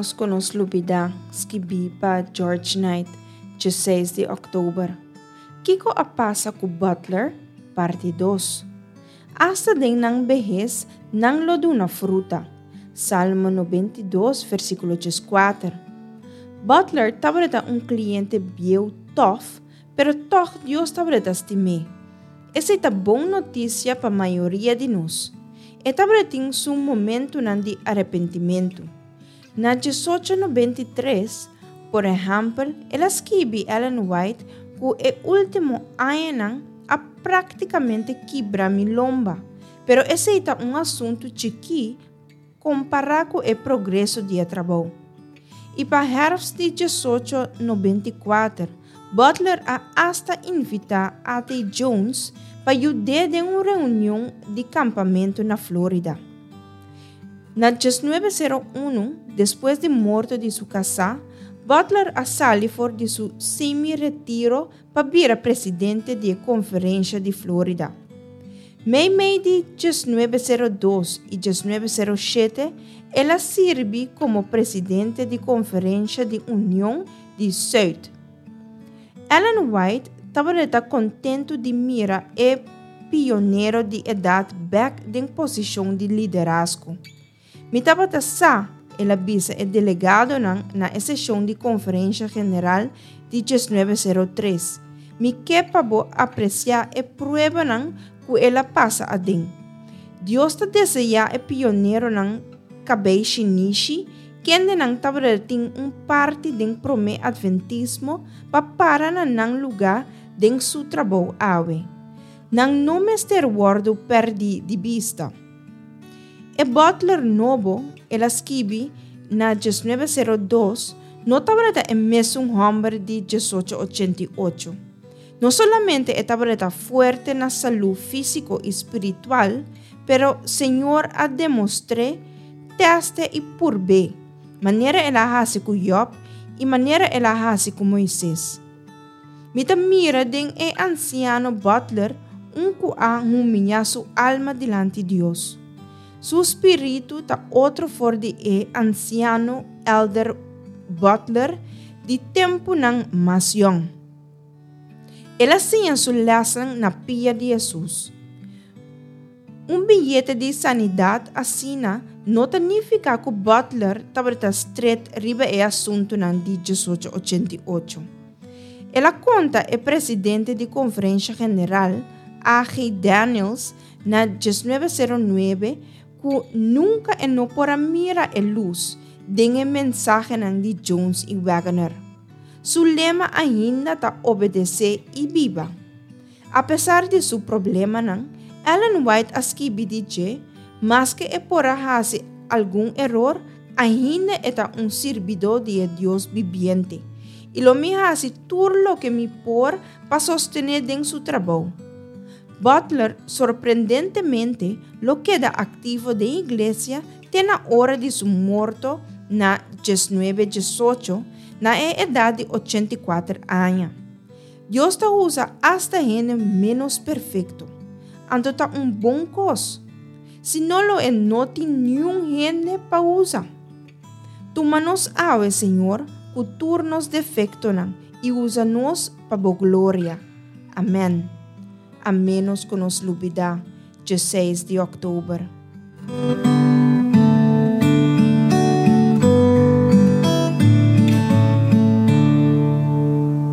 ménos ku nos lubidá, skibí pa George Knight, djeseis di òktober. Kiko a pasa ku Butler? Parti dos. Asta den nan behes nan lo duna fruta. Salmo 92, versíkulo 14. Butler tabata un kliente bieu tòf, pero tòg Dios tabata stim'é. Esei ta bon notisia pa mayoria di nos. E tabatin su momentunan di arepentimentu. Na 1893, por ehèmpel, el a skibi Ellen White ku e último añanan a práktikamente kibra mi lomba, pero esei ta un asuntu chikí kompará ku e progreso di e trabou. I pa hèrfst di 1894, Butler a asta invitá A.T. Jones pa yud'é den un reunion di kampamentu na Florida. Na 1901, despues di morto di su kasá, Butler a sali for di su semi-retiro pa bira presidente di e Konferensha di Florida. Meimei di 1902 i 1907 el a sirbi komo presidente di Konferensha di Union di Sùit. Ellen White tabata kontentu di mira e pionero di edat bèk den posishon di liderazgo. Mi tabata sa, el a bisa e delegadonan na e seshon di konferensha general di 1903, mi ke pa bo apresiá e pruebanan ku el a pasa aden. Dios ta deseá e pioneronan kabei shinishi kendenan tabata tin un parti den promé atventismo pa para na nan lugá den su trabou awe. Nan no mester wòrdu pèrdí di bista. E Butler nobo, el a skibi na 1902, no tabata e mesun hòmber di 1888. No solamente e tabata fuerte na salú físiko i spiritual, pero Señor a demostr'é, tèst'é i purb'é, manera el a hasi ku Jòb i manera el a hasi ku Moises. Mi ta mira den e ansiano Butler un ku a humiñá su alma dilanti Dios. Su spiritu ta otro for di e ansiano Elder Butler di tempunan mas yòn. El a siña su lèsnan na pia di Hesus. Un biyete di sanidat asina no ta nifiká ku Butler tabata stret riba e asuntunan di 1888. El a konta e presidente di Konferensha General, A.G. Daniells, na 1909 ku nunka e no por a mira e lus den e mensahenan di Jones i Waggoner. Su lema ainda ta obedesé i biba. Apesar di su problemanan, Ellen White a skibi di dje, Maske e por a hasi algun eror, ainda e ta un sirbidó di e Dios bibiente, i lo mi hasi tur loke mi por pa sostené den su trabou. Butler sorprendentemente lo keda aktivo den iglesia te na ora di su morto na 1918, na e edat di 84 aña. Dios ta usa asta hende ménos perfekto. Anto ta un bon kos. Si no lo e no tin niun hende pa usa. Tuma nos awe, Señor, ku tur nos defektonan i usa nos pa bo gloria. Amèn. A ménos ku nos lubidá, 16 di òktober.